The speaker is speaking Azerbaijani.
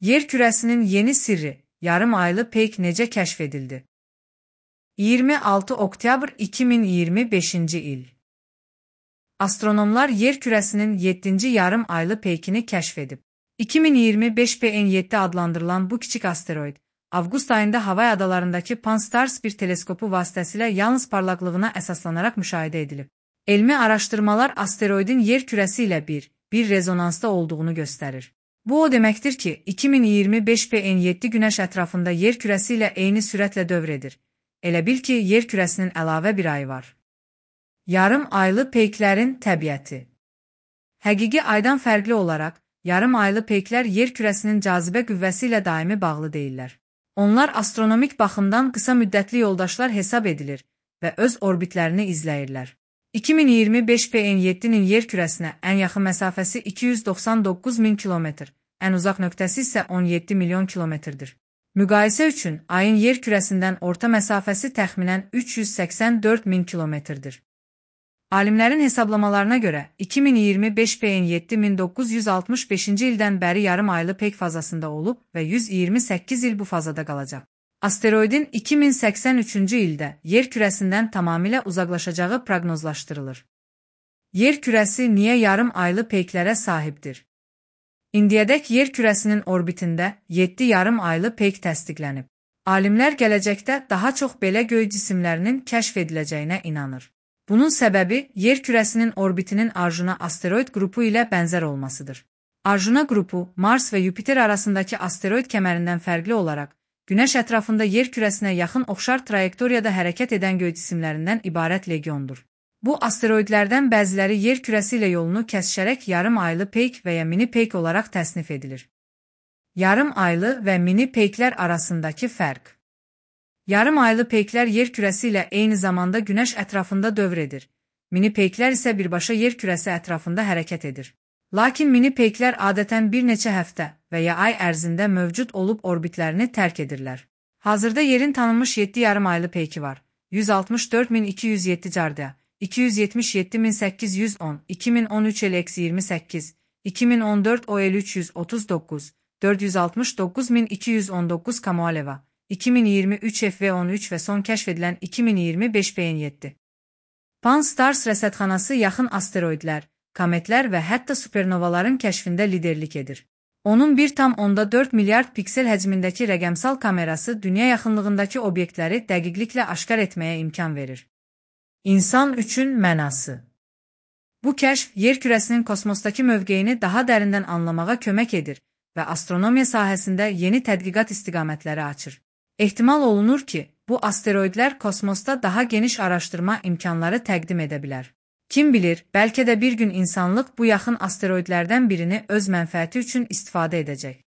Yer kürəsinin yeni sirri, yarım aylı peyk necə kəşf edildi? 26 oktyabr 2025-ci il. Astronomlar yer kürəsinin 7-ci yarım aylı peykini kəşf edib. 2025 PN7 adlandırılan bu kiçik asteroid, avqust ayında Havay adalarındakı Pan-STARRS bir teleskopu vasitəsilə yalnız parlaqlığına əsaslanaraq müşahidə edilib. Elmi araşdırmalar asteroidin yer kürəsi ilə bir rezonansda olduğunu göstərir. Bu o deməkdir ki, 2025 PN7 Günəş ətrafında yer kürəsi ilə eyni sürətlə dövr edir. Elə bil ki, yer kürəsinin əlavə bir ayı var. Yarım aylı peyklərin təbiəti. Həqiqi aydan fərqli olaraq, yarım aylı peyklər yer kürəsinin cazibə qüvvəsi ilə daimi bağlı deyirlər. Onlar astronomik baxımdan qısa müddətli yoldaşlar hesab edilir və öz orbitlərini izləyirlər. 2025 PN7-nin yer kürəsinə ən yaxın məsafəsi 299 min kilometr, ən uzaq nöqtəsi isə 17 milyon kilometrdir. Müqayisə üçün, ayın yer kürəsindən orta məsafəsi təxminən 384 min kilometrdir. Alimlərin hesablamalarına görə, 2025 PN7 1965-ci ildən bəri yarım aylı peyk fazasında olub və 128 il bu fazada qalacaq. Asteroidin 2083-cü ildə yer kürəsindən tamamilə uzaqlaşacağı proqnozlaşdırılır. Yer kürəsi niyə yarım aylı peyklərə sahibdir? İndiyədək yer kürəsinin orbitində 7 yarım aylı peyk təsdiqlənib. Alimlər gələcəkdə daha çox belə göy cisimlərinin kəşf ediləcəyinə inanır. Bunun səbəbi yer kürəsinin orbitinin Arjuna asteroid qrupu ilə bənzər olmasıdır. Arjuna qrupu Mars və Yupiter arasındakı asteroid kəmərindən fərqli olaraq, Günəş ətrafında yer kürəsinə yaxın oxşar trayektoriyada hərəkət edən göy cisimlərindən ibarət legiondur. Bu asteroidlərdən bəziləri yer kürəsi ilə yolunu kəsişərək yarım aylı peyk və ya mini peyk olaraq təsnif edilir. Yarım aylı və mini peyklər arasındakı fərq. Yarım aylı peyklər yer kürəsi ilə eyni zamanda Günəş ətrafında dövr edir. Mini peyklər isə birbaşa yer kürəsi ətrafında hərəkət edir. Lakin mini peyklər adətən bir neçə həftə və ya ay ərzində mövcud olub orbitlərini tərk edirlər. Hazırda yerin tanınmış 7 yarım aylı peyki var. 164.207 Cardia, 277.810, 2013 L-28, 2014 OL-339, 469.219 Kamoaleva, 2023 FV13 və son kəşf edilən 2025 PN7. Pan-STARRS rəsədxanası yaxın asteroidlər, kometlər və hətta supernovaların kəşfində liderlik edir. Onun 1,4 milyard piksel həcmindəki rəqəmsal kamerası dünya yaxınlığındakı obyektləri dəqiqliklə aşkar etməyə imkan verir. İnsan üçün mənası. Bu kəşf yer kürəsinin kosmosdakı mövqeyini daha dərindən anlamağa kömək edir və astronomiya sahəsində yeni tədqiqat istiqamətləri açır. Ehtimal olunur ki, bu asteroidlər kosmosda daha geniş araşdırma imkanları təqdim edə bilər. Kim bilir, bəlkə də bir gün insanlıq bu yaxın asteroidlərdən birini öz mənfəəti üçün istifadə edəcək.